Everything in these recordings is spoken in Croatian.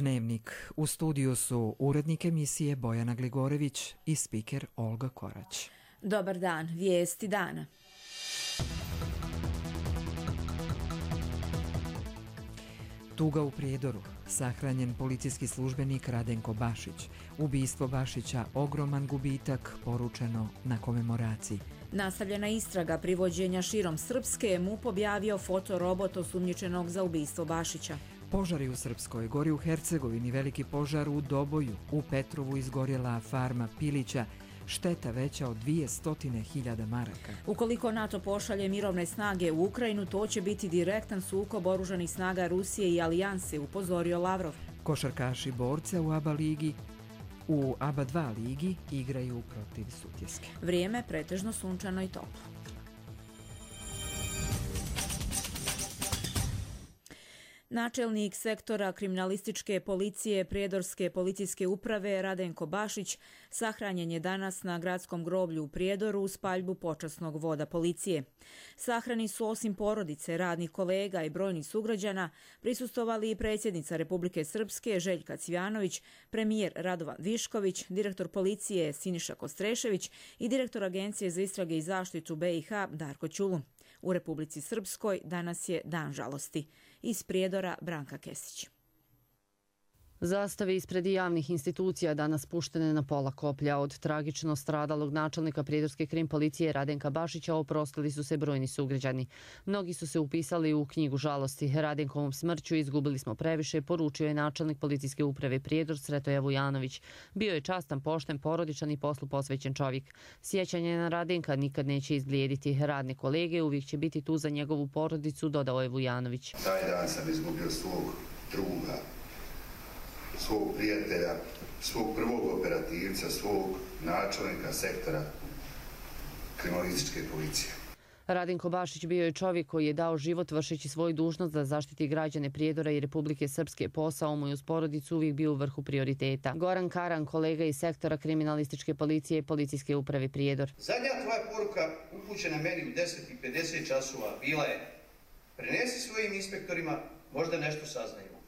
Dnevnik. U studiju su urednik emisije Bojana Gligorević i spiker Olga Korać. Dobar dan, vijesti dana. Tuga u Prijedoru. Sahranjen policijski službenik Radenko Bašić. Ubistvo Bašića ogroman gubitak, poručeno na komemoraciji. Nastavljena istraga privođenja širom Srpske, MUP objavio fotorobot osumnjičenog za ubistvo Bašića. Požari u Srpskoj Gori, u Hercegovini veliki požar u Doboju, u Petrovu izgorjela farma pilića, šteta veća od 200.000 maraka. Ukoliko NATO pošalje mirovne snage u Ukrajinu, to će biti direktan sukob oružanih snaga Rusije i alijanse, upozorio Lavrov. Košarkaši borca u ABA ligi u ABA 2 ligi igraju protiv Sutjeske. Vrijeme pretežno sunčano i toplo. Načelnik sektora kriminalističke policije Prijedorske policijske uprave Radenko Bašić sahranjen je danas na gradskom groblju u Prijedoru uz paljbu počasnog voda policije. Sahrani su osim porodice, radnih kolega i brojnih sugrađana prisustvovali i predsjednica Republike Srpske Željka Cvijanović, premijer Radovan Višković, direktor policije Siniša Kostrešević i direktor Agencije za istrage i zaštitu BiH Darko Ćulu. U Republici Srpskoj danas je dan žalosti. Iz Prijedora Branka Kesić. Zastave ispred javnih institucija danas puštene na pola koplja. Od tragično stradalog načelnika Prijedorske krim policije Radenka Bašića oprostili su se brojni sugrađani. Mnogi su se upisali u knjigu žalosti. Radenkovom smrću izgubili smo previše, poručio je načelnik policijske uprave Prijedor Sretoje Vujanović. Bio je častan, pošten, porodičan i poslu posvećen čovjek. Sjećanje na Radenka nikad neće izblijediti. Radne kolege uvijek će biti tu za njegovu porodicu, dodao je Vujanović. Taj dan sam izgubio svog druga, svog prijatelja, svog prvog operativca, svog načelnika sektora kriminalističke policije. Radenko Bašić bio je čovjek koji je dao život vršeći svoju dužnost da zaštiti građane Prijedora i Republike Srpske. Posao mu i uz porodicu uvijek bio u vrhu prioriteta. Goran Karan, kolega iz sektora kriminalističke policije policijske uprave Prijedor. Zadnja tvoja poruka upućena meni u 10:50 časova bila je: prenesi svojim inspektorima, možda nešto saznajemo.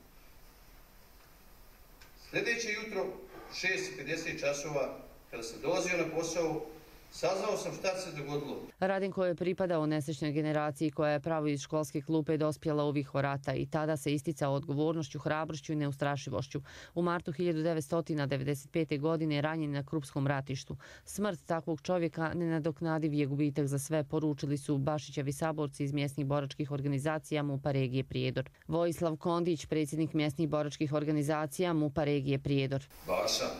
Sljedeće jutro, 6:50 časova, kada sam dolazio na posao, saznao sam šta se dogodilo. Radenko je pripadao nesrećnoj generaciji koja je pravo iz školske klupe dospjela u vihor rata i tada se isticao odgovornošću, hrabrošću i neustrašivošću. U martu 1995. godine ranjen na Krupskom ratištu. Smrt takvog čovjeka nenadoknadiv je gubitak za sve, poručili su Bašićevi saborci iz mjesnih boračkih organizacija MUP-a regije Prijedor. Vojislav Kondić, predsjednik mjesnih boračkih organizacija MUP-a regije Prijedor. Baša,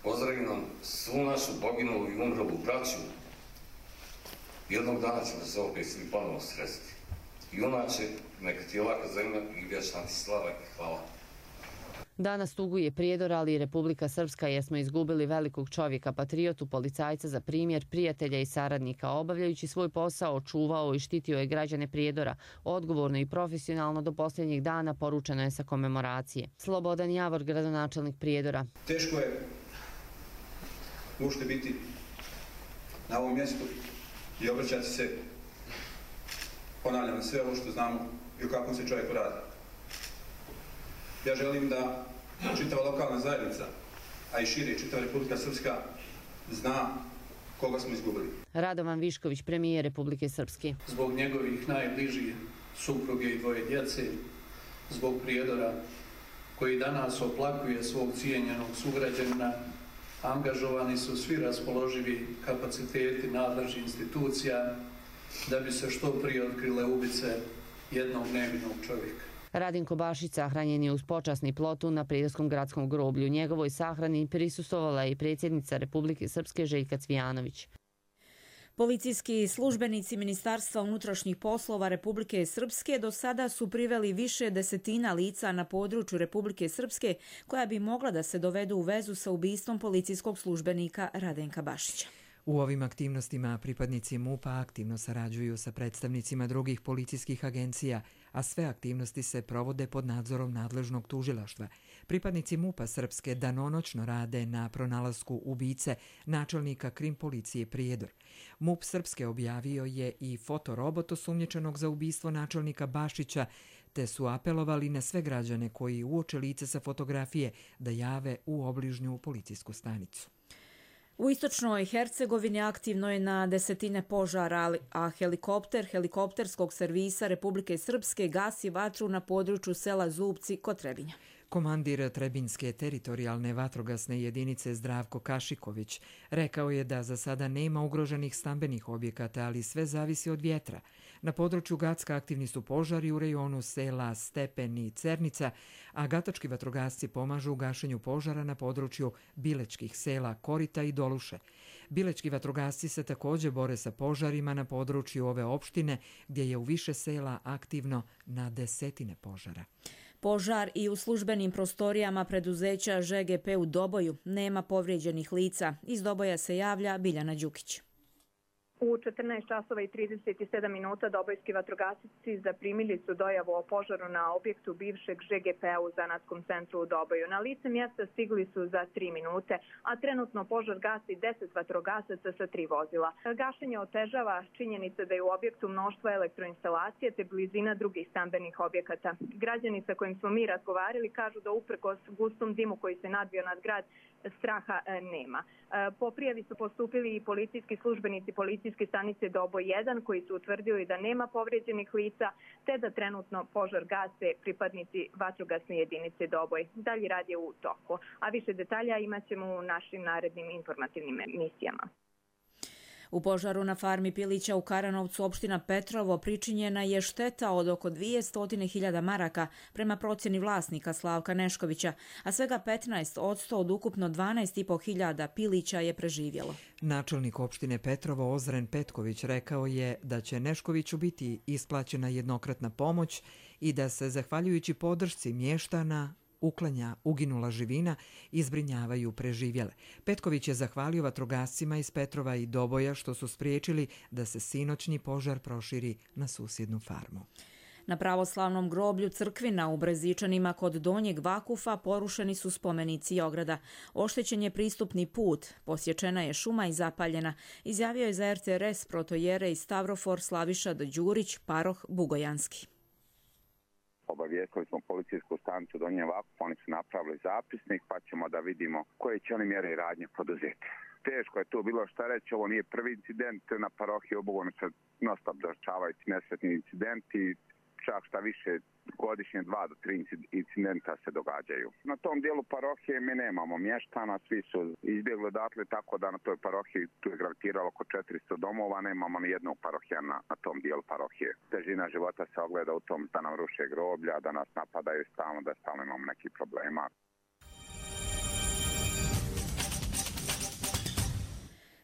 pozdravim nam svu našu poginulu i umrlu braću. Jednog dana ćemo se opet svi ponovno sresti. I unače, neka ti je laka zemlja i vječna ti slava i hvala. Danas tuguje Prijedor, ali i Republika Srpska, jer smo izgubili velikog čovjeka, patriotu, policajca za primjer, prijatelja i saradnika. Obavljajući svoj posao, čuvao i štitio je građane Prijedora, odgovorno i profesionalno do posljednjeg dana, poručeno je sa komemoracije. Slobodan Javor, gradonačelnik Prijedora. Teško je možete biti na ovom mjestu i obraćati se, ponavljam, sve ovo što znamo i o kakvom se čovjeku radi. Ja želim da čitava lokalna zajednica, a i šire čitava Republika Srpska, zna koga smo izgubili. Radovan Višković, premijer Republike Srpske. Zbog njegovih najbližih supruge i dvoje djece, zbog Prijedora koji danas oplakuje svog cijenjenog sugrađanina, angažovani su svi raspoloživi kapaciteti nadležnih institucija da bi se što prije otkrile ubice jednog nevinog čovjeka. Radenko Bašić sahranjen je uz počasni plotu na Prijedorskom gradskom groblju. Njegovoj sahrani prisustvovala je i predsjednica Republike Srpske Željka Cvijanović. Policijski službenici Ministarstva unutrašnjih poslova Republike Srpske do sada su priveli više desetina lica na području Republike Srpske koja bi mogla da se dovedu u vezu sa ubistvom policijskog službenika Radenka Bašića. U ovim aktivnostima pripadnici MUP-a aktivno sarađuju sa predstavnicima drugih policijskih agencija, a sve aktivnosti se provode pod nadzorom nadležnog tužilaštva. Pripadnici MUP-a Srpske danonoćno rade na pronalasku ubice načelnika krim policije Prijedor. MUP Srpske objavio je i fotorobot osumnjičenog za ubistvo načelnika Bašića, te su apelovali na sve građane koji uoče lice sa fotografije da jave u obližnju policijsku stanicu. U istočnoj Hercegovini aktivno je na desetine požara, a helikopter helikopterskog servisa Republike Srpske gasi vatru na području sela Zubci kod Trebinja. Komandir Trebinjske teritorijalne vatrogasne jedinice Zdravko Kašiković rekao je da za sada nema ugroženih stambenih objekata, ali sve zavisi od vjetra. Na području Gacka aktivni su požari u rejonu sela Stepen i Cernica, a gatački vatrogasci pomažu u gašenju požara na području bilečkih sela Korita i Doluše. Bilečki vatrogasci se također bore sa požarima na području ove opštine, gdje je u više sela aktivno na desetine požara. Požar i u službenim prostorijama preduzeća ŽGP u Doboju, nema povrijeđenih lica. Iz Doboja se javlja Biljana Đukić. U 14 časova i 37 minuta dobojski vatrogasci zaprimili su dojavu o požaru na objektu bivšeg ŽGP-a u zanatskom centru u Doboju. Na lice mjesta stigli su za 3 minute, a trenutno požar gasi 10 vatrogasaca sa 3 vozila. Gašenje otežava činjenica da je u objektu mnoštvo elektroinstalacije te blizina drugih stambenih objekata. Građani sa kojim smo mi razgovarali kažu da uprkos gustom dimu koji se nadvio nad grad, straha nema. Po prijavi su postupili i policijski službenici policijske stanice Doboj 1 koji su utvrdili da nema povrijeđenih lica te da trenutno požar gase pripadnici vatrogasne jedinice Doboj. Dalji rad je u toku, a više detalja imat ćemo u našim narednim informativnim emisijama. U požaru na farmi pilića u Karanovcu, opština Petrovo, pričinjena je šteta od oko 200.000 maraka prema procjeni vlasnika Slavka Neškovića, a svega 15% od ukupno 12.500 pilića je preživjelo. Načelnik opštine Petrovo Ozren Petković rekao je da će Neškoviću biti isplaćena jednokratna pomoć i da se, zahvaljujući podršci mještana, uklanja uginula živina i zbrinjavaju preživjele. Petković je zahvalio vatrogascima iz Petrova i Doboja što su spriječili da se sinoćni požar proširi na susjednu farmu. Na pravoslavnom groblju Crkvina u Brezičanima kod Donjeg Vakufa porušeni su spomenici i ograda. Oštećen je pristupni put, posječena je šuma i zapaljena, izjavio je za RTRS protojerej Stavrofor Slaviša Đurić, paroh Bugojanski. Obavijestili smo policijsku stanicu Donji Vakuf, oni su napravili zapisnik pa ćemo da vidimo koje će oni mjere i radnje poduzeti. Teško je tu bilo šta reći, ovo nije prvi incident, na parohiji Obogonu se non-stop dešavaju nesretni incidenti, čak šta više godišnje 2 do 3 incidenta se događaju. Na tom dijelu parohije mi nemamo mještana, svi su izbjegli odatle, tako da na toj parohiji tu je gravitiralo oko 400 domova, nemamo ni jednog parohija na tom dijelu parohije. Težina života se ogleda u tom da nam ruše groblja, da nas napadaju stalno, da stalno imamo nekih problema.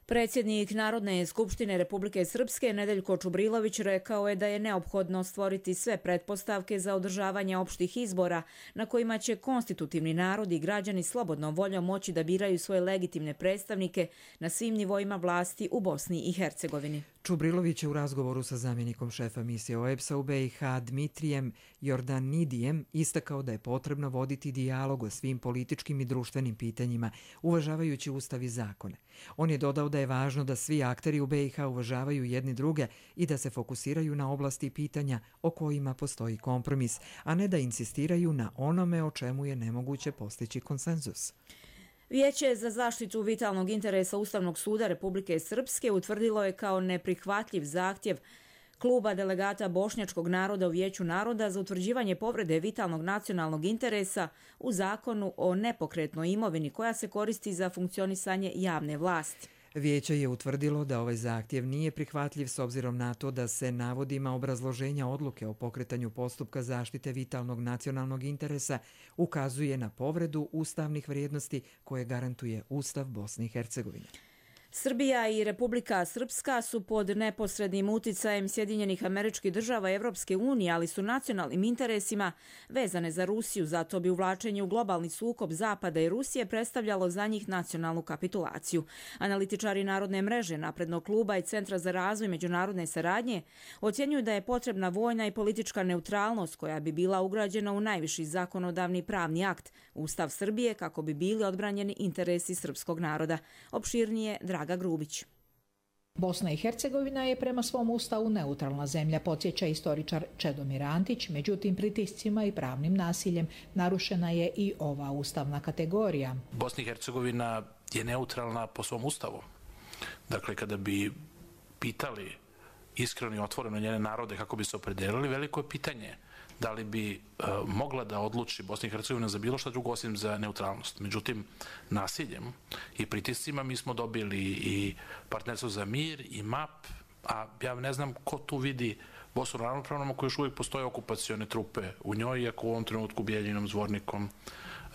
Predsjednik Narodne skupštine Republike Srpske Nedeljko Čubrilović rekao je da je neophodno stvoriti sve pretpostavke za održavanje opštih izbora na kojima će konstitutivni narod i građani slobodnom voljom moći da biraju svoje legitimne predstavnike na svim nivoima vlasti u Bosni i Hercegovini. Čubrilović je u razgovoru sa zamjenikom šefa misije OEBS-a u BiH Dmitrijem Jordanidijem istakao da je potrebno voditi dijalog o svim političkim i društvenim pitanjima, uvažavajući ustav i zakone. On je dodao da je važno da svi akteri u BiH uvažavaju jedni druge i da se fokusiraju na oblasti pitanja o kojima postoji kompromis, a ne da insistiraju na onome o čemu je nemoguće postići konsenzus. Vijeće za zaštitu vitalnog interesa Ustavnog suda Republike Srpske utvrdilo je kao neprihvatljiv zahtjev kluba delegata bošnjačkog naroda u Vijeću naroda za utvrđivanje povrede vitalnog nacionalnog interesa u zakonu o nepokretnoj imovini koja se koristi za funkcionisanje javne vlasti. Vijeće je utvrdilo da ovaj zahtjev nije prihvatljiv s obzirom na to da se navodima obrazloženja odluke o pokretanju postupka zaštite vitalnog nacionalnog interesa ukazuje na povredu ustavnih vrijednosti koje garantuje Ustav Bosne i Hercegovine. Srbija i Republika Srpska su pod neposrednim uticajem Sjedinjenih Američkih Država i Evropske unije, ali su nacionalnim interesima vezane za Rusiju, zato bi uvlačenje u globalni sukob Zapada i Rusije predstavljalo za njih nacionalnu kapitulaciju. Analitičari Narodne mreže, Naprednog kluba i Centra za razvoj međunarodne saradnje ocjenjuju da je potrebna vojna i politička neutralnost koja bi bila ugrađena u najviši zakonodavni pravni akt, Ustav Srbije, kako bi bili odbranjeni interesi srpskog naroda. Opširnije Draga Grubić. Bosna i Hercegovina je prema svom ustavu neutralna zemlja, podsjeća istoričar Čedomir Antić, međutim pritiscima i pravnim nasiljem narušena je i ova ustavna kategorija. Bosna i Hercegovina je neutralna po svom ustavu. Dakle, kada bi pitali iskreno i otvoreno njene narode kako bi se opredelili, veliko je pitanje da li bi mogla da odluči Bosna i Hercegovina za bilo šta drugo osim za neutralnost. Međutim, nasiljem i pritiscima mi smo dobili i partnerstvo za mir i MAP, a ja ne znam ko tu vidi Bosnu ravnopravnom ako još uvijek postoje okupacione trupe u njoj, iako u ovom trenutku Bijeljinom, Zvornikom,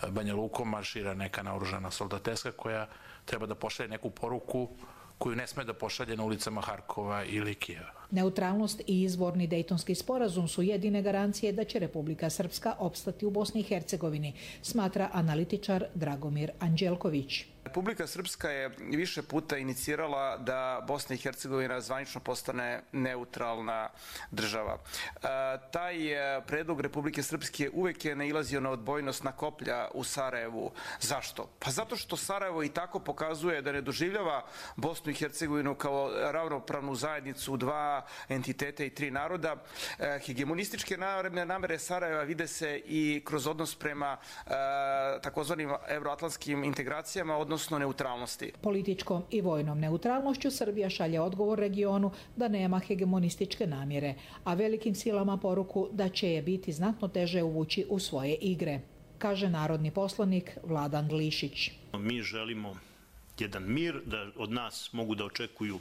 Banja Lukom maršira neka naoružana soldateska koja treba da pošalje neku poruku koju ne sme da pošalje na ulicama Harkova ili Kijeva. Neutralnost i izvorni Dejtonski sporazum su jedine garancije da će Republika Srpska opstati u Bosni i Hercegovini, smatra analitičar Dragomir Anđelković. Republika Srpska je više puta inicirala da Bosna i Hercegovina zvanično postane neutralna država. Taj predlog Republike Srpske uvek je nailazio na odbojnost na koplja u Sarajevu. Zašto? Pa zato što Sarajevo i tako pokazuje da ne doživljava Bosnu i Hercegovinu kao ravnopravnu zajednicu dva entiteta i tri naroda. Hegemonističke namere Sarajeva vide se i kroz odnos prema takozvanim evroatlantskim integracijama, odnosno neutralnosti. Političkom i vojnom neutralnošću Srbija šalje odgovor regionu da nema hegemonističke namjere, a velikim silama poruku da će je biti znatno teže uvući u svoje igre, kaže narodni poslanik Vladan Glišić. Mi želimo jedan mir, da od nas mogu da očekuju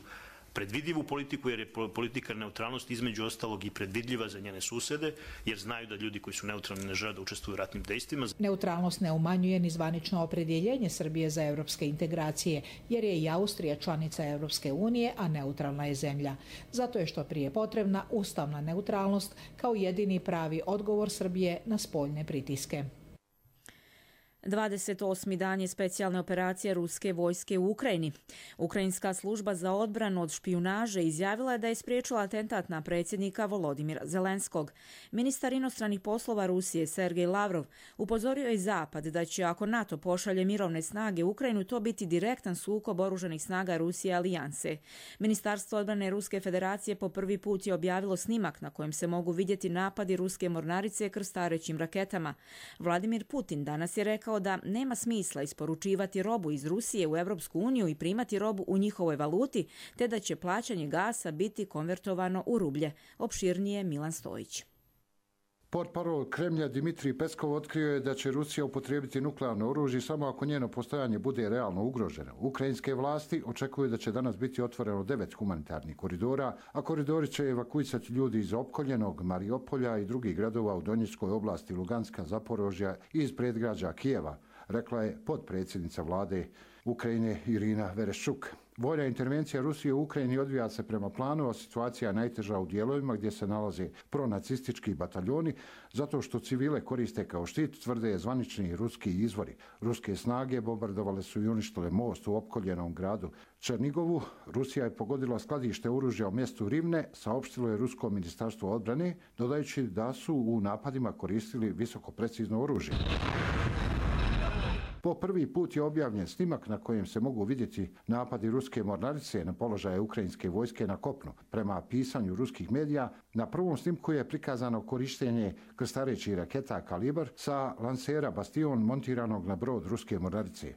predvidljivu politiku, jer je politika neutralnosti između ostalog i predvidljiva za njene susede, jer znaju da ljudi koji su neutralni ne žele da učestvuju u ratnim dejstvima. Neutralnost ne umanjuje ni zvanično opredjeljenje Srbije za evropske integracije, jer je i Austrija članica Evropske unije, a neutralna je zemlja. Zato je što prije potrebna ustavna neutralnost kao jedini pravi odgovor Srbije na spoljne pritiske. 28. dan je specijalne operacije ruske vojske u Ukrajini. Ukrajinska služba za odbranu od špijunaže izjavila je da je spriječila atentat na predsjednika Volodimira Zelenskog. Ministar inostranih poslova Rusije Sergej Lavrov upozorio je Zapad da će, ako NATO pošalje mirovne snage u Ukrajinu, to biti direktan sukob oružanih snaga Rusije i alijanse. Ministarstvo odbrane Ruske federacije po prvi put je objavilo snimak na kojem se mogu vidjeti napadi ruske mornarice krstarećim raketama. Vladimir Putin danas je rekao da nema smisla isporučivati robu iz Rusije u Europsku uniju i primati robu u njihovoj valuti, te da će plaćanje gasa biti konvertovano u rublje. Opširnije Milan Stojić. Portparol Kremlja Dimitrij Peskov otkrio je da će Rusija upotrijebiti nuklearno oružje samo ako njeno postojanje bude realno ugroženo. Ukrajinske vlasti očekuju da će danas biti otvoreno 9 humanitarnih koridora, a koridori će evakuisati ljudi iz opkoljenog Mariupolja i drugih gradova u Donjeckoj oblasti Luganska, Zaporožja i iz predgrađa Kijeva, rekla je potpredsjednica vlade Ukrajine Irina Vereshchuk. Vojna intervencija Rusije u Ukrajini odvija se prema planu, a situacija je najteža u dijelovima gdje se nalaze pronacistički bataljoni, zato što civile koriste kao štit, tvrde zvanični ruski izvori. Ruske snage bombardovale su i uništile most u opkoljenom gradu Černigovu. Rusija je pogodila skladište oružja u mjestu Rivne, saopštilo je Rusko ministarstvo odbrane, dodajući da su u napadima koristili visoko precizno oružje. Po prvi put je objavljen snimak na kojem se mogu vidjeti napadi ruske mornarice na položaje ukrajinske vojske na kopnu. Prema pisanju ruskih medija, na prvom snimku je prikazano korištenje krstarećih raketa Kalibar sa lansera Bastion montiranog na brod ruske mornarice.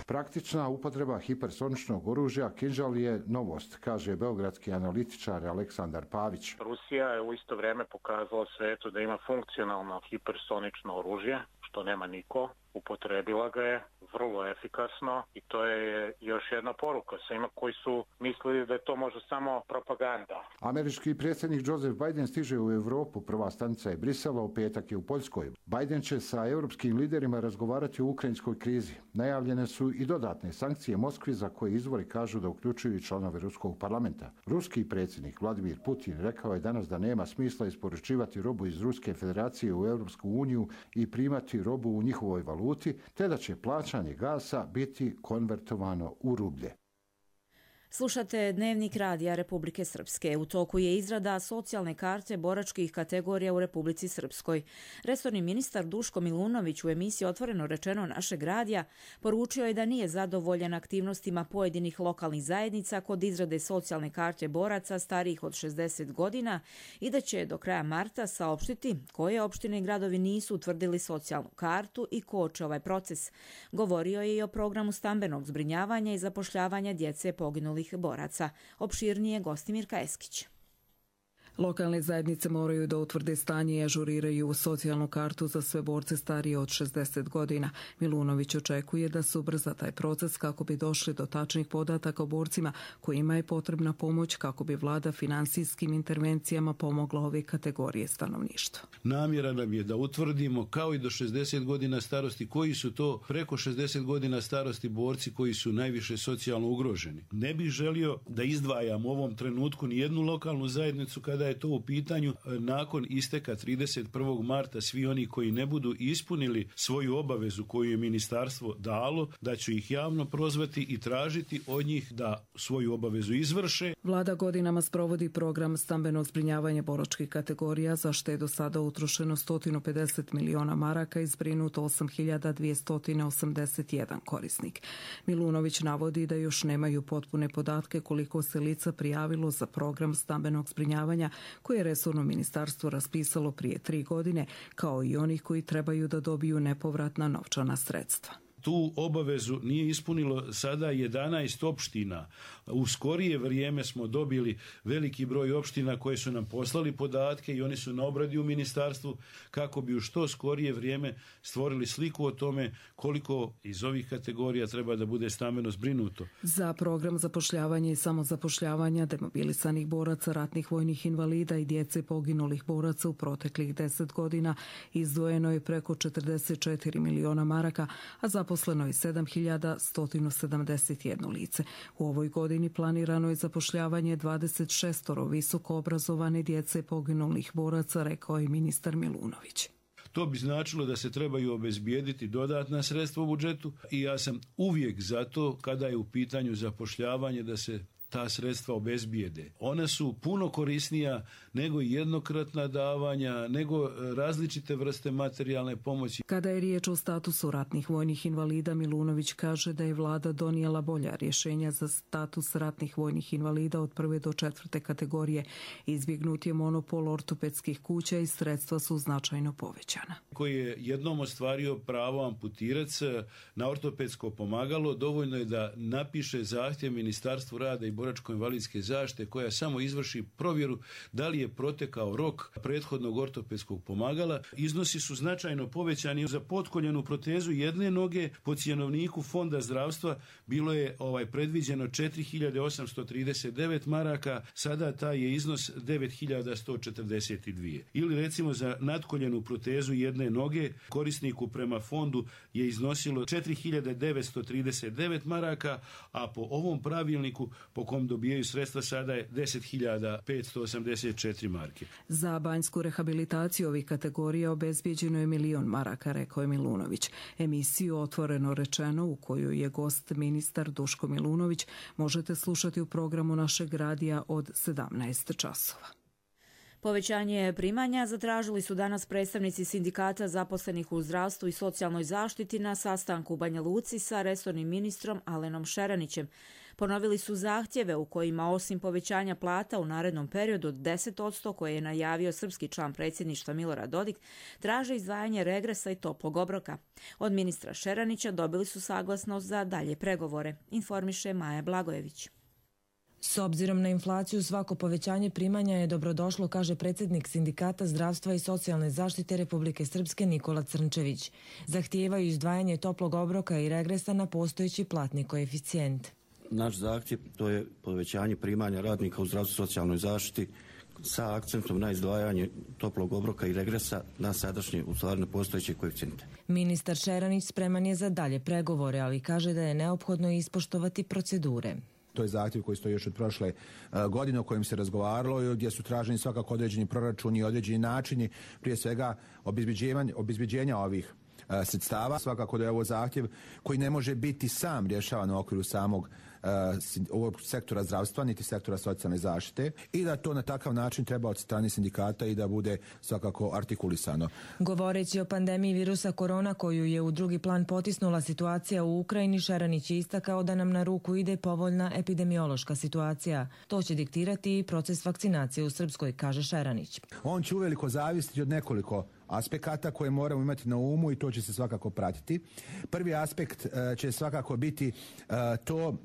Praktična upotreba hipersoničnog oružja Kinžal je novost, kaže beogradski analitičar Aleksandar Pavić. Rusija je u isto vrijeme pokazala svijetu da ima funkcionalno hipersonično oružje, što nema niko. Upotrebila ga je vrlo efikasno i to je još jedna poruka svima koji su mislili da je to možda samo propaganda. Američki predsjednik Joseph Biden stiže u Europu, prva stanica je Brisela, u petak je u Poljskoj. Biden će sa europskim liderima razgovarati o ukrajinskoj krizi. Najavljene su i dodatne sankcije Moskvi za koje izvori kažu da uključuju i članove Ruskog parlamenta. Ruski predsjednik Vladimir Putin rekao je danas da nema smisla isporučivati robu iz Ruske federacije u Europsku uniju i primati robu u njihovoj valuti, te da će plaćanje gasa biti konvertovano u rublje. Slušate Dnevnik radija Republike Srpske. U toku je izrada socijalne karte boračkih kategorija u Republici Srpskoj. Resorni ministar Duško Milunović u emisiji Otvoreno rečeno našeg radija poručio je da nije zadovoljan aktivnostima pojedinih lokalnih zajednica kod izrade socijalne karte boraca starijih od 60 godina i da će do kraja marta saopštiti koje opštine i gradovi nisu utvrdili socijalnu kartu i koče ovaj proces. Govorio je i o programu stambenog zbrinjavanja i zapošljavanja djece poginulih boraca. Opširnije Gostimir Kajeskić. Lokalne zajednice moraju da utvrde stanje i ažuriraju socijalnu kartu za sve borce starije od 60 godina. Milunović očekuje da se ubrza taj proces kako bi došli do tačnih podataka o borcima kojima je potrebna pomoć kako bi vlada finansijskim intervencijama pomogla ove kategorije stanovništva. Namjera nam je da utvrdimo kao i do 60 godina starosti koji su to preko 60 godina starosti borci koji su najviše socijalno ugroženi. Ne bih želio da izdvajam u ovom trenutku ni jednu lokalnu zajednicu kada je to u pitanju. Nakon isteka 31. marta svi oni koji ne budu ispunili svoju obavezu koju je ministarstvo dalo, da ću ih javno prozvati i tražiti od njih da svoju obavezu izvrše. Vlada godinama sprovodi program stambenog zbrinjavanja boračkih kategorija, za što je do sada utrošeno 150 miliona maraka i zbrinuto 8.281 korisnik. Milunović navodi da još nemaju potpune podatke koliko se lica prijavilo za program stambenog zbrinjavanja koje je resorno ministarstvo raspisalo prije 3 godine, kao i onih koji trebaju da dobiju nepovratna novčana sredstva. Tu obavezu nije ispunilo sada 11 opština. U skorije vrijeme smo dobili veliki broj opština koje su nam poslali podatke i oni su na obradi u ministarstvu kako bi u što skorije vrijeme stvorili sliku o tome koliko iz ovih kategorija treba da bude stambeno zbrinuto. Za program zapošljavanja i samozapošljavanja demobilisanih boraca, ratnih vojnih invalida i djece poginulih boraca u proteklih 10 godina izdvojeno je preko 44 miliona maraka, a zaposleno je 7.171 lice. U ovoj godini planirano je zapošljavanje 26 visoko obrazovane djece poginulih boraca, rekao je ministar Milunović. To bi značilo da se trebaju obezbijediti dodatna sredstva u budžetu i ja sam uvijek za to kada je u pitanju zapošljavanje da se ta sredstva obezbijede. Ona su puno korisnija nego jednokratna davanja, nego različite vrste materijalne pomoći. Kada je riječ o statusu ratnih vojnih invalida, Milunović kaže da je vlada donijela bolja rješenja za status ratnih vojnih invalida od 1. do 4. kategorije. Izbjegnut je monopol ortopedskih kuća i sredstva su značajno povećana. Koji je jednom ostvario pravo amputirac na ortopedsko pomagalo, dovoljno je da napiše zahtjev Ministarstvu rada i boračko-invalidske zaštite koja samo izvrši provjeru da li je protekao rok prethodnog ortopedskog pomagala. Iznosi su značajno povećani. Za potkoljenu protezu jedne noge po cjenovniku Fonda zdravstva bilo je predviđeno 4.839 maraka, sada taj je iznos 9.142. Ili recimo za natkoljenu protezu jedne noge korisniku prema fondu je iznosilo 4.939 maraka, a po ovom pravilniku po kom dobijaju sredstva sada je 10.584 marke. Za banjsku rehabilitaciju ovih kategorija obezbijeđeno je 1 milion maraka, rekao je Milunović. Emisiju Otvoreno rečeno, u kojoj je gost ministar Duško Milunović, možete slušati u programu našeg radija od 17 časova. Povećanje primanja zatražili su danas predstavnici sindikata zaposlenih u zdravstvu i socijalnoj zaštiti na sastanku u Banja Luci sa resornim ministrom Alenom Šeranićem. Ponovili su zahtjeve u kojima osim povećanja plata u narednom periodu od 10% koje je najavio srpski član predsjedništva Milorad Dodik, traže izdvajanje regresa i toplog obroka. Od ministra Šeranića dobili su saglasnost za dalje pregovore, informiše Maja Blagojević. S obzirom na inflaciju, svako povećanje primanja je dobrodošlo, kaže predsjednik Sindikata zdravstva i socijalne zaštite Republike Srpske Nikola Crnčević. Zahtijevaju izdvajanje toplog obroka i regresa na postojeći platni koeficijent. Naš zahtjev to je povećanje primanja radnika u zdravstvu i socijalnoj zaštiti sa akcentom na izdvajanje toplog obroka i regresa na sadašnje, u stvari postojeće koeficijente. Ministar Šeranić spreman je za dalje pregovore, ali kaže da je neophodno ispoštovati procedure. To je zahtjev koji stoji još od prošle godine o kojem se razgovaralo, gdje su traženi svakako određeni proračuni i određeni načini, prije svega obezbeđenja ovih sredstava. Svakako da je ovo zahtjev koji ne može biti sam rješavan u okviru samog ovog sektora zdravstva niti sektora socijalne zaštite i da to na takav način treba od strane sindikata i da bude svakako artikulisano. Govoreći o pandemiji virusa korona koju je u drugi plan potisnula situacija u Ukrajini, Šeranić je istakao da nam na ruku ide povoljna epidemiološka situacija. To će diktirati i proces vakcinacije u Srpskoj, kaže Šeranić. On će uveliko zavisiti od nekoliko aspekata koje moramo imati na umu i to će se svakako pratiti. Prvi aspekt će svakako biti to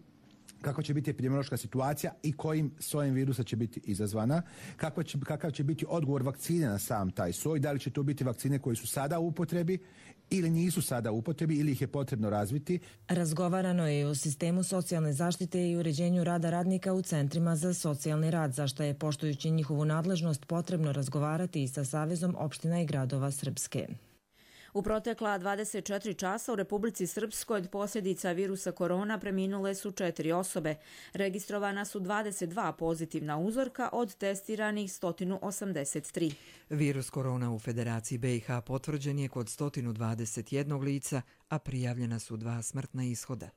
kakva će biti epidemiološka situacija i kojim sojem virusa će biti izazvana, kakav će biti odgovor vakcine na sam taj soj, da li će to biti vakcine koje su sada u upotrebi ili nisu sada u upotrebi ili ih je potrebno razviti. Razgovarano je o sistemu socijalne zaštite i uređenju rada radnika u centrima za socijalni rad, za što je, poštujući njihovu nadležnost, potrebno razgovarati i sa Savezom opština i gradova Srpske. U protekla 24 časa u Republici Srpskoj od posljedica virusa korona preminule su 4 osobe. Registrovana su 22 pozitivna uzorka od testiranih 183. Virus korona u Federaciji BiH potvrđen je kod 121 lica, a prijavljena su 2 smrtna ishoda.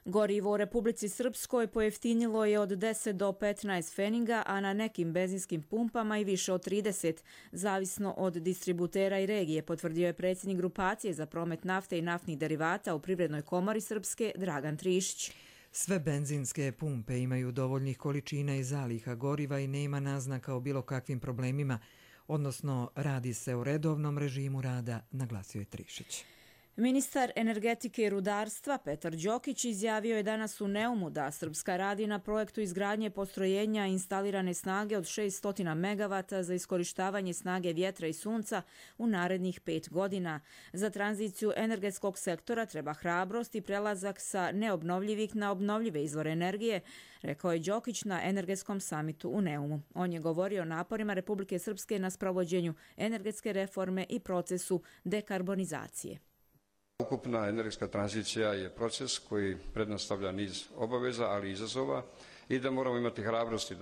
Gorivo u Republici Srpskoj pojeftinilo je od 10 do 15 feninga, a na nekim benzinskim pumpama i više od 30, zavisno od distributera i regije, potvrdio je predsjednik grupacije za promet nafte i naftnih derivata u Privrednoj komori Srpske Dragan Trišić. Sve benzinske pumpe imaju dovoljnih količina i zaliha goriva i nema naznaka o bilo kakvim problemima, odnosno radi se o redovnom režimu rada, naglasio je Trišić. Ministar energetike i rudarstva Petar Đokić izjavio je danas u Neumu da Srpska radi na projektu izgradnje postrojenja instalirane snage od 600 MW za iskorištavanje snage vjetra i sunca u narednih 5 godina. Za tranziciju energetskog sektora treba hrabrost i prelazak sa neobnovljivih na obnovljive izvore energije, rekao je Đokić na energetskom samitu u Neumu. On je govorio o naporima Republike Srpske na sprovođenju energetske reforme i procesu dekarbonizacije. Ukupna energetska tranzicija je proces koji predstavlja niz obaveza, ali i izazova i da moramo imati hrabrosti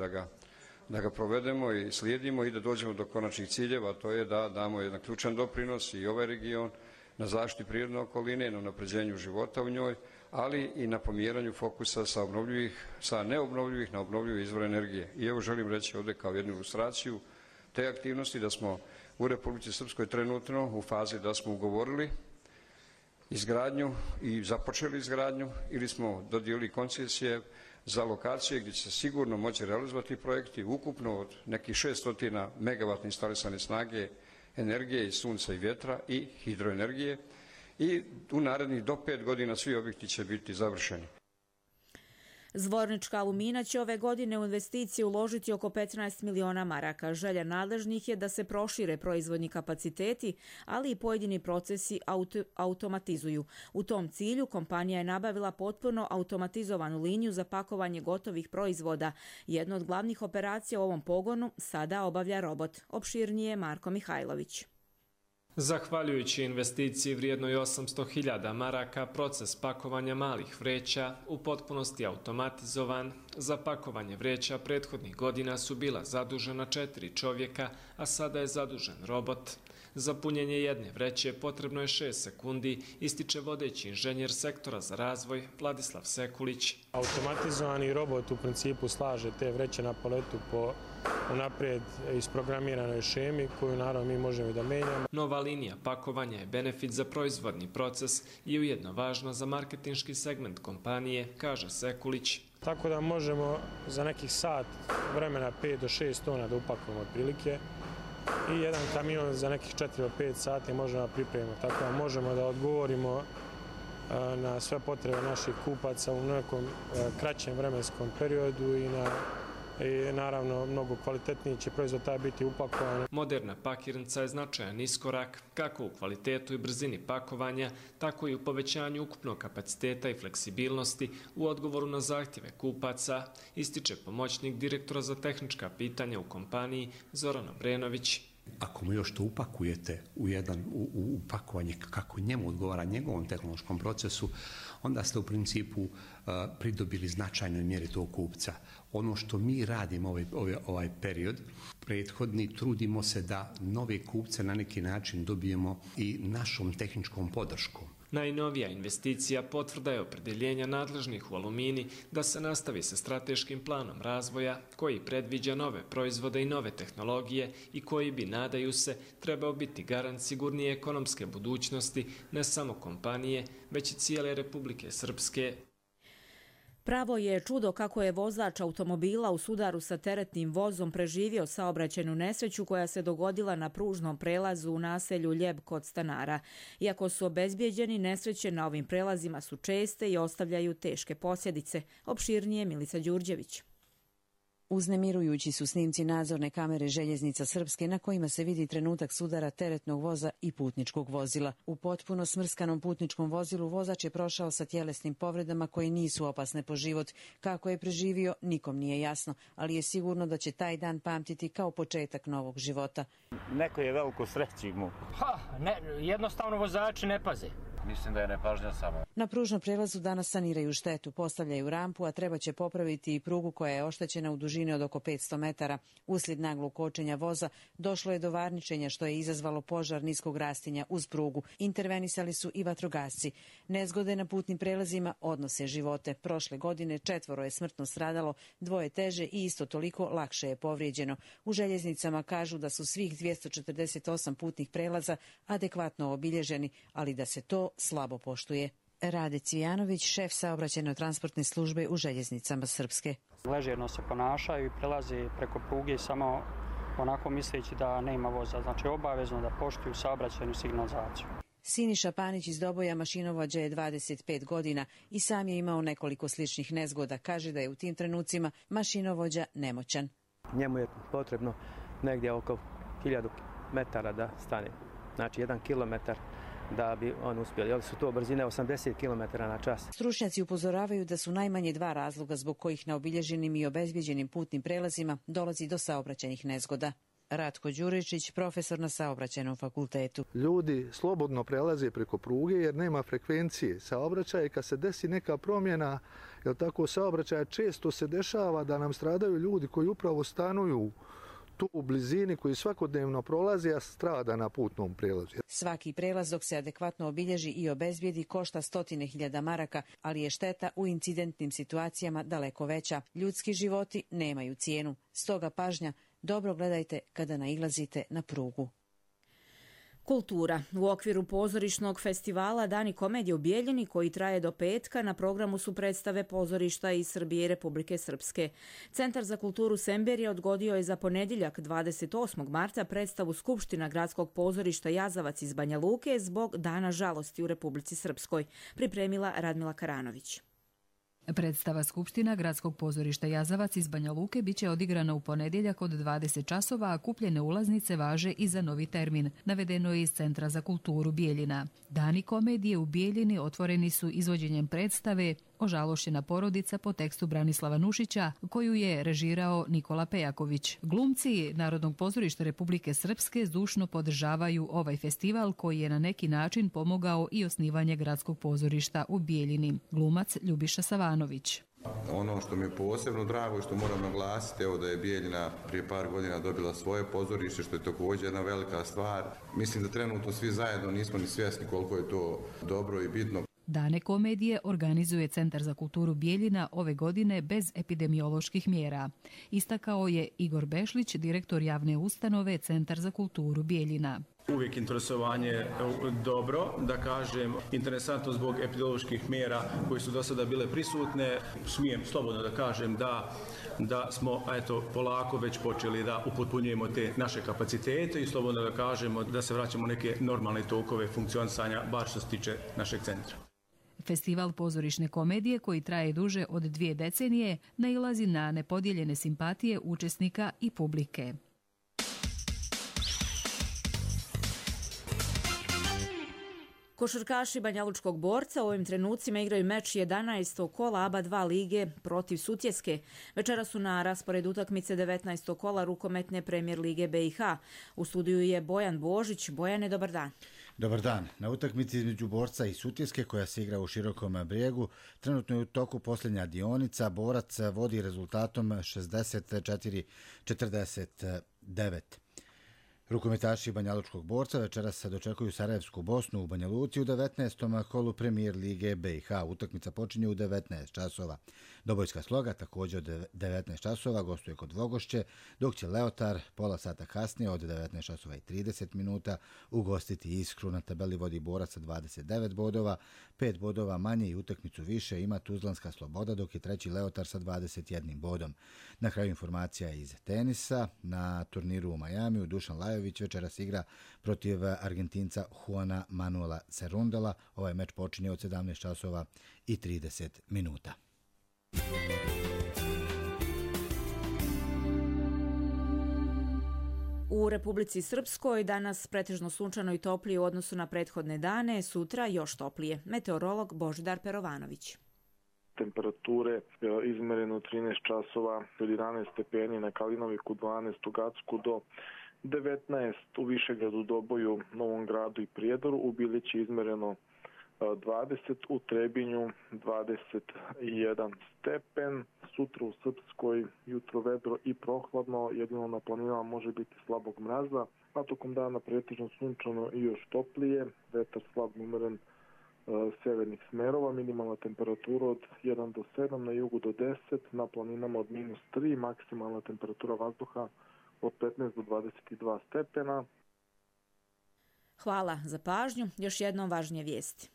da ga provedemo i slijedimo i da dođemo do konačnih ciljeva, to je da damo jedan ključan doprinos i ovaj region na zaštiti prirodne okoline, na unapređenju života u njoj, ali i na pomjeranju fokusa sa neobnovljivih na obnovljive izvore energije. I evo želim reći ovdje kao jednu ilustraciju te aktivnosti da smo u Republici Srpskoj trenutno u fazi da smo ugovorili izgradnju i započeli izgradnju ili smo dodijelili koncesije za lokacije gdje će se sigurno moći realizovati projekti ukupno od nekih 600 MW instalisane snage energije iz sunca i vjetra i hidroenergije i u narednih do 5 godina svi objekti će biti završeni. Zvornička Alumina će ove godine u investicije uložiti oko 15 miliona maraka. Želja nadležnih je da se prošire proizvodni kapaciteti, ali i pojedini procesi automatizuju. U tom cilju kompanija je nabavila potpuno automatizovanu liniju za pakovanje gotovih proizvoda. Jednu od glavnih operacija u ovom pogonu sada obavlja robot. Opširnije Marko Mihajlović. Zahvaljujući investiciji vrijednoj 800.000 maraka, proces pakovanja malih vreća u potpunosti automatizovan. Za pakovanje vreća prethodnih godina su bila zadužena 4 čovjeka, a sada je zadužen robot. Za punjenje jedne vreće potrebno je 6 sekundi, ističe vodeći inženjer sektora za razvoj Vladislav Sekulić. Automatizovani robot u principu slaže te vreće na paletu po unaprijed isprogramiranoj šemi koju naravno mi možemo i da menjamo. Nova linija pakovanja je benefit za proizvodni proces i ujedno važna za marketinški segment kompanije, kaže Sekulić. Tako da možemo za nekih sat vremena 5 do 6 tona da upakujemo otprilike i jedan kamion za nekih 4 do 5 sati možemo da pripremimo. Tako da možemo da odgovorimo na sve potrebe naših kupaca u nekom kraćem vremenskom periodu i naravno mnogo kvalitetniji će proizvod taj biti upakovan. Moderna pakirnica je značajan iskorak kako u kvalitetu i brzini pakovanja, tako i u povećanju ukupnog kapaciteta i fleksibilnosti u odgovoru na zahtjeve kupaca, ističe pomoćnik direktora za tehnička pitanja u kompaniji Zoran Obrenović. Ako mu još to upakujete u upakovanje kako njemu odgovara njegovom tehnološkom procesu, onda ste u principu pridobili značajnoj mjeri tog kupca. Ono što mi radimo ovaj period prethodni, trudimo se da nove kupce na neki način dobijemo i našom tehničkom podrškom. Najnovija investicija potvrda je opredeljenja nadležnih u Alumini da se nastavi sa strateškim planom razvoja koji predviđa nove proizvode i nove tehnologije i koji bi, nadaju se, trebao biti garant sigurnije ekonomske budućnosti ne samo kompanije, već i cijele Republike Srpske. Pravo je čudo kako je vozač automobila u sudaru sa teretnim vozom preživio saobraćajnu nesreću koja se dogodila na pružnom prelazu u naselju Ljeb kod stanara. Iako su obezbijeđeni, nesreće na ovim prelazima su česte i ostavljaju teške posljedice. Opširnije Milica Đurđević. Uznemirujući su snimci nadzorne kamere Željeznica Srpske na kojima se vidi trenutak sudara teretnog voza i putničkog vozila. U potpuno smrskanom putničkom vozilu vozač je prošao sa tjelesnim povredama koje nisu opasne po život. Kako je preživio, nikom nije jasno, ali je sigurno da će taj dan pamtiti kao početak novog života. Neko je veliko sreći mu. Jednostavno vozači ne paze. Mislim da je nepažnja samo. Na pružnom prelazu danas saniraju štetu, postavljaju rampu, a treba će popraviti i prugu koja je oštećena u dužini od oko 500 metara. Uslijed naglog kočenja voza došlo je do varničenja što je izazvalo požar niskog rastinja uz prugu. Intervenisali su i vatrogasci. Nezgode na putnim prelazima odnose živote. Prošle godine 4 je smrtno stradalo, 2 teže i isto toliko lakše je povrijeđeno. U željeznicama kažu da su svih 248 putnih prelaza adekvatno obilježeni, ali da se to slabo poštuje. Rade Cvijanović, šef saobraćajno-transportne službe u Željeznicama Srpske. Ležerno se ponašaju i prelaze preko pruge samo onako misleći da nema voza. Znači obavezno da poštuju saobraćajnu signalizaciju. Siniša Panić iz Doboja mašinovođa je 25 godina i sam je imao nekoliko sličnih nezgoda. Kaže da je u tim trenucima mašinovođa nemoćan. Njemu je potrebno negdje oko 1000 metara da stane. Znači 1 kilometar da bi on uspjeli. Ovdje su to brzine 80 km na čas. Stručnjaci upozoravaju da su najmanje 2 razloga zbog kojih na obilježenim i obezbijeđenim putnim prelazima dolazi do saobraćajnih nezgoda. Ratko Đuričić, profesor na Saobraćajnom fakultetu. Ljudi slobodno prelaze preko pruge jer nema frekvencije saobraćaja i kad se desi neka promjena, jer tako saobraćaja često se dešava da nam stradaju ljudi koji upravo stanuju tu u blizini, koji svakodnevno prolazi, a strada na putnom prelazu. Svaki prelaz dok se adekvatno obilježi i obezbijedi košta 100.000 maraka, ali je šteta u incidentnim situacijama daleko veća. Ljudski životi nemaju cijenu. Stoga pažnja, dobro gledajte kada nailazite na prugu. Kultura. U okviru pozorišnog festivala Dani komedije u Bijeljini, koji traje do petka, na programu su predstave pozorišta iz Srbije i Republike Srpske. Centar za kulturu Semberija odgodio je za ponedjeljak 28. marta predstavu Skupština gradskog pozorišta Jazavac iz Banja Luke zbog Dana žalosti u Republici Srpskoj, pripremila Radmila Karanović. Predstava Skupština gradskog pozorišta Jazavac iz Banja Luke biće odigrana u ponedjeljak od 20 časova, a kupljene ulaznice važe i za novi termin, navedeno je iz Centra za kulturu Bijeljina. Dani komedije u Bijeljini otvoreni su izvođenjem predstave Ožalošćena porodica po tekstu Branislava Nušića, koju je režirao Nikola Pejaković. Glumci Narodnog pozorišta Republike Srpske zdušno podržavaju ovaj festival koji je na neki način pomogao i osnivanje gradskog pozorišta u Bijeljini. Glumac Ljubiša Savanović. Ono što mi je posebno drago i što moram naglasiti, evo da je Bijeljina prije par godina dobila svoje pozorište, što je također jedna velika stvar. Mislim da trenutno svi zajedno nismo ni svjesni koliko je to dobro i bitno. Dane komedije organizuje Centar za kulturu Bijeljina ove godine bez epidemioloških mjera. Istakao je Igor Bešlić, direktor javne ustanove Centar za kulturu Bijeljina. Uvijek interesovanje dobro, da kažem, interesantno zbog epidemioloških mjera koje su do sada bile prisutne. Smijem slobodno da kažem da smo polako već počeli da upotpunjujemo te naše kapacitete i slobodno da kažemo da se vraćamo neke normalne tokove funkcionisanja, bar što se tiče našeg centra. Festival pozorišne komedije, koji traje duže od 2 decenije, nailazi na nepodijeljene simpatije učesnika i publike. Košarkaši Banjalučkog Borca u ovim trenucima igraju meč 11. kola ABA 2 lige protiv Sutjeske. Večera su na rasporedu utakmice 19. kola rukometne premijer lige BiH. U studiju je Bojan Božić. Bojane, dobar dan. Dobar dan. Na utakmici između Borca i Sutjeske, koja se igra u Širokom Brijegu, trenutno je u toku posljednja dionica. Borac vodi rezultatom 64-49. Rukometaši Banjalučkog Borca večeras se dočekuju Sarajevsku Bosnu u Banja Luci u 19. kolu premijer lige BiH. Utakmica počinje u 19 časova. Dobojska Sloga također od 19 časova gostuje kod Vogošće, dok će Leotar pola sata kasnije od 19 časova i 30 minuta ugostiti Iskru. Na tabeli vodi Borac sa 29 bodova, 5 bodova manje i utakmicu više ima Tuzlanska Sloboda, dok je treći Leotar sa 21 bodom. Na kraju informacija iz tenisa. Na turniru u Majamiju Dušan Lajović večeras igra protiv Argentinca Juana Manuela Cerundela. Ovaj meč počinje od 17 časova i 30 minuta. U Republici Srpskoj danas pretežno sunčano i toplije u odnosu na prethodne dane, sutra još toplije. Meteorolog Božidar Perovanović. Temperature izmereno 13 časova, 11 stepeni na Kalinoviku, 12 u Gacku do 19 u Višegradu, Doboju, Novom Gradu i Prijedoru, u Bilići izmereno 20, u Trebinju 21 stepen, sutra u Srpskoj jutro vedro i prohladno, jedino na planinama može biti slabog mraza, a tokom dana pretežno sunčano i još toplije, vetar slab umeren severnih smerova, minimalna temperatura od 1 do 7, na jugu do 10, na planinama od -3, maksimalna temperatura vazduha od 15 do 22 stepena. Hvala za pažnju. Još jednom važnije vijesti.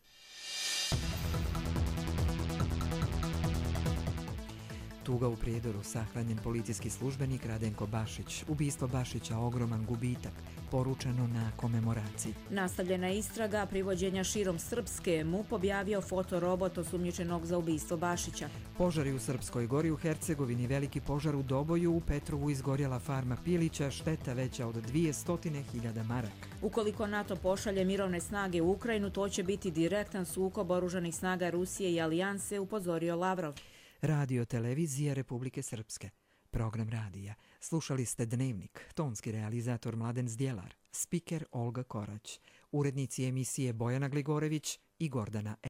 Tuga u Prijedoru, sahranjen policijski službenik Radenko Bašić. Ubistvo Bašića ogroman gubitak, poručeno na komemoraciji. Nastavljena istraga privođenja širom Srpske, MUP objavio fotorobot osumnjičenog za ubistvo Bašića. Požari u Srpskoj Gori, u Hercegovini veliki požar u Doboju, u Petrovu izgorjela farma pilića, šteta veća od 200.000 maraka. Ukoliko NATO pošalje mirovne snage u Ukrajinu, to će biti direktan sukob oružanih snaga Rusije i Alijanse, upozorio Lavrov. Radio televizija Republike Srpske. Program radija. Slušali ste Dnevnik, tonski realizator Mladen Zdjelar, spiker Olga Korać, urednici emisije Bojana Gligorević i Gordana